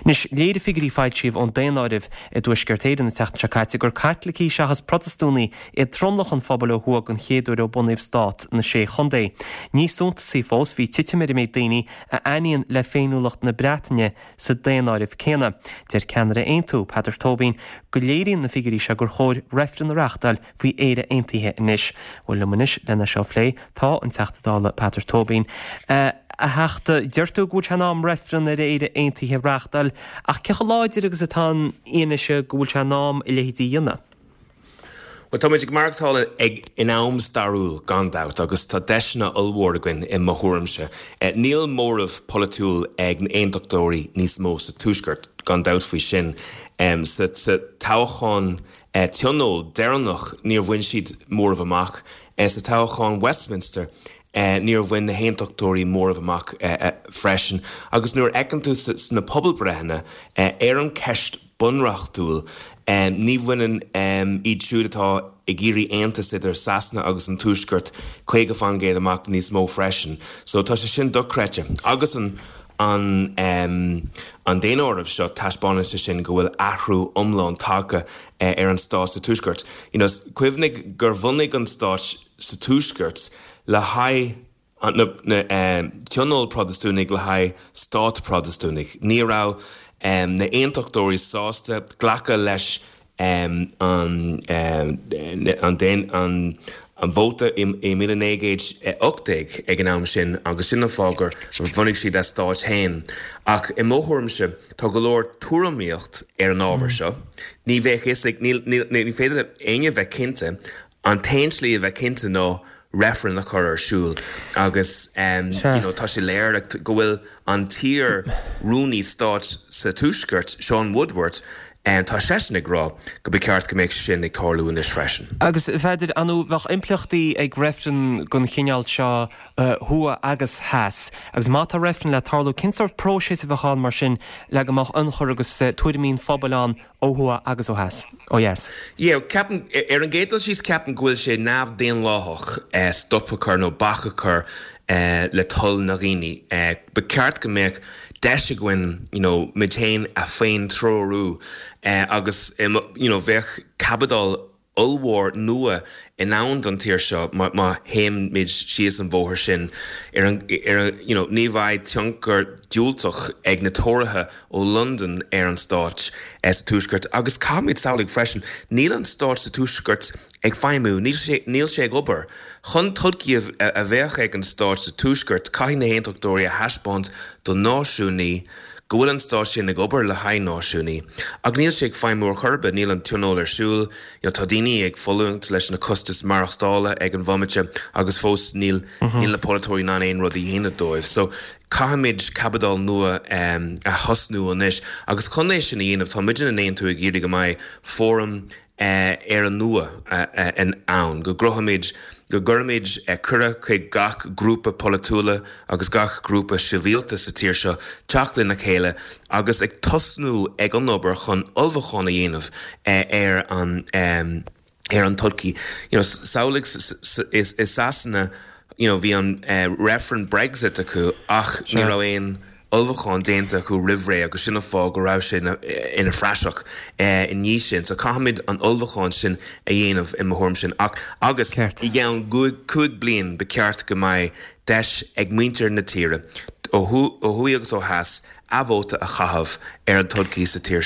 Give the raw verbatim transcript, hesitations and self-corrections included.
Anois léirigh figiúirí a foilsíodh ón daonáireamh i dTuaisceart Éireann an tseachtain seo caite gur Caitlicigh seachas Protastúnaigh iad tromlach an phobail ó thuaidh den chéad uair ó bunaíodh stát na Sé Chontae. Níos suntasaí fós bhí titim ar an méid daoine a aithníonn le féiniúlacht na Breataine sa daonáireamh céanna. Deir ceannaire Aontú Peadar Tóibín go léiríonn na figiúirí seo gur chóir reifreann a reáchtáil faoi Éire Aontaithe anois. Bhuel liom anois lena seo a phlé tá an Teachta Dála Peadar Tóibín. Uh, a Theachta deir tú go bhfuil sé in am reifreann ar Éire Aontaithe a reáchtáil ach cé chomh láidir agus atá an fhianaise go bhfuil sé in am a leithéid a dhéanamh. Well tá muid ag maireachtáil ag in am stairiúil gan dabht agus tá deiseanna ollmhór againn i mo thuairimse. Eh, níl móramh polaitiúil ag na haontachtóirí níos mó sa tuaisceart gan dabht faoi sin. Um, sa, sa toghchán eh, tionól deireanach níor bhain siad móramh amach eh, sa toghchán Westminster. Eh, níor bhain na haontachtóirí móramh amach eh, eh, freisin, agus nuair a fheiceann tú sna pobalbreitheanna eh, ar an ceist bunreachtúil um, ní bhaineann um, iad siúd atá ag iarraidh aontas idir Sasana agus an tuaisceart caoga faoin gcéad amach níos mó freisin. So tá sé sin dochreidte agus an an um, an daonáireamh seo taispeánann sé sin go bhfuil athrú iomlán tagtha uh, ar an stát sa tuaisceart. You know, cuimhnigh gur bhunaigh an stát sa tuaisceart le haghaidh na, na um, tionól Protastúnaigh le haghaidh stát Protastúnaigh. Ní raibh um, na haontachtóirí sásta glacadh leis um, an, um, an, an, an, an vóta i míle naoi gcéad ocht déag ag an am sin agus sin an fáth gur bhunaigh siad a stát féin. Ach i mo thuairimse tá go leor tuairimíocht ar an ábhar seo. Ní bheadh ní féidir éinne bheith cinnte an t-aon slí a bheith cinnte ná reifreann a chur ar siúl agus um, you know, tá sé léir go bhfuil an t-iar-rúnaí stáit sa tuaisceart Sean Woodward um, tá seisean ag rá go ba cheart go mbeadh sin ag tarlú anois freisin. Agus féidir anú bheadh impleachtaí ag reifreann den chineál seo uh, thuaidh agus theas. Agus má tá reifreann le tarlú cén sórt próiseas a bheadh ann mar sin le go mbeadh ionchur agus uh, tuairimí an phobail ann ó thuaidh agus ó theas. Ó dheas. Yeah, ceapaim ar an gcéad dul síos ceapaim go bhfuil sé neamh-dhaonlathach eh, stop a chur nó bac a chur eh, le toil na ndaoine. Eh, ba cheart go mbeadh deis againn you know, muid féin a féin-treorú eh, agus you know, bheadh caibidil ollmhór nua in ann don tír seo má théimid síos an bóthar sin ar an, ar an, you know, ní bheidh tionchar diúltach ag na Tóraithe ó London ar an stát eh, sa tuaisceart agus caithfimid samhlaigh freisin níl an stát sa tuaisceart ag feidhmiú níl sé, níl sé ag obair. Chun todhchaí a bheith ag an stát sa tuaisceart caithfidh na haontachtóirí a thaispeáint do náisiúnaigh go bhfuil an stát sin ag obair le haghaidh náisiúnaigh. Ach níl sé ag feidhmiú ar chor ar bith níl an tionól ar siúl, you know, tá daoine ag fulaingt leis na costais maireachtála ag an bhomaite agus fós níl mm -hmm. níl na polaiteoirí in ann aon rud a dhéanamh dóibh. So caithfimid caibidil nua um, a thosnú anois agus chun é sin a dhéanamh tá muid in Aontú ag iarraidh go mbeidh fóram uh, ar an nua uh, uh, in ann go gcruthaímid go gcuirimid uh, cuireadh chuig gach grúpa polaitiúla agus gach grúpa sibhialta sa tír seo teacht lena chéile agus ag tosnú ag an obair chun ullmhúchán a dhéanamh uh, ar an um, ar an todhchaí. You know, samhlaigh is is Sasana you know, bhí an uh, referendum Brexit acu ach ní raibh aon ullmhúchán déanta acu roimh ré agus sin an fáth go raibh sé ina phraiseach i ndiaidh sin, so caithfimid an ullmhúchán sin a dhéanamh i mo thuairim sin ach agus i gceann cúig bliain ba cheart go mbeidh deis ag muintir na tíre ó thuaidh agus ó theas a vóta a chaitheamh ar an todhchaí sa tír.